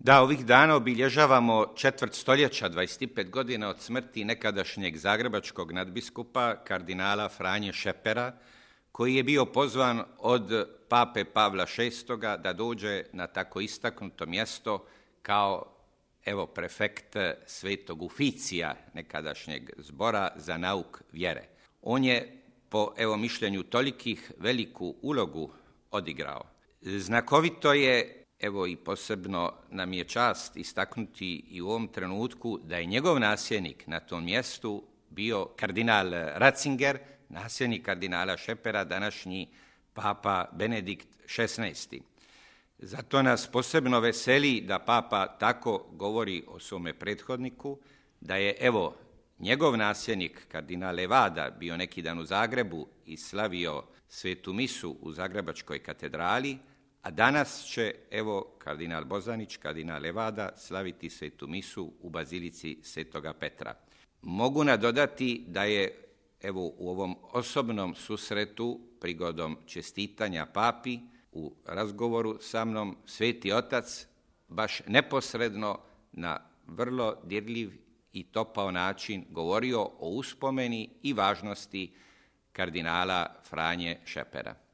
Da, ovih dana obilježavamo četvrt stoljeća, 25 godina od smrti nekadašnjeg zagrebačkog nadbiskupa, kardinala Franje Šepera, koji je bio pozvan od pape Pavla VI. Da dođe na tako istaknuto mjesto kao prefekt Svetog Uficija, nekadašnjeg zbora za nauk vjere. On je, po mišljenju tolikih, veliku ulogu odigrao. Znakovito je, i posebno nam je čast istaknuti i u ovom trenutku, da je njegov nasljednik na tom mjestu bio kardinal Ratzinger, nasljednik kardinala Šepera, današnji papa Benedikt XVI. Zato nas posebno veseli da papa tako govori o svome prethodniku, da je njegov nasljednik kardinal Levada bio neki dan u Zagrebu i slavio svetu misu u Zagrebačkoj katedrali, a danas će kardinal Bozanić, kardinal Levada slaviti svetu misu u bazilici Svetoga Petra. Mogu nadodati da je u ovom osobnom susretu prigodom čestitanja papi u razgovoru sa mnom Sveti Otac baš neposredno na vrlo dirljiv i topao način govorio o uspomeni i važnosti kardinala Franje Šepera.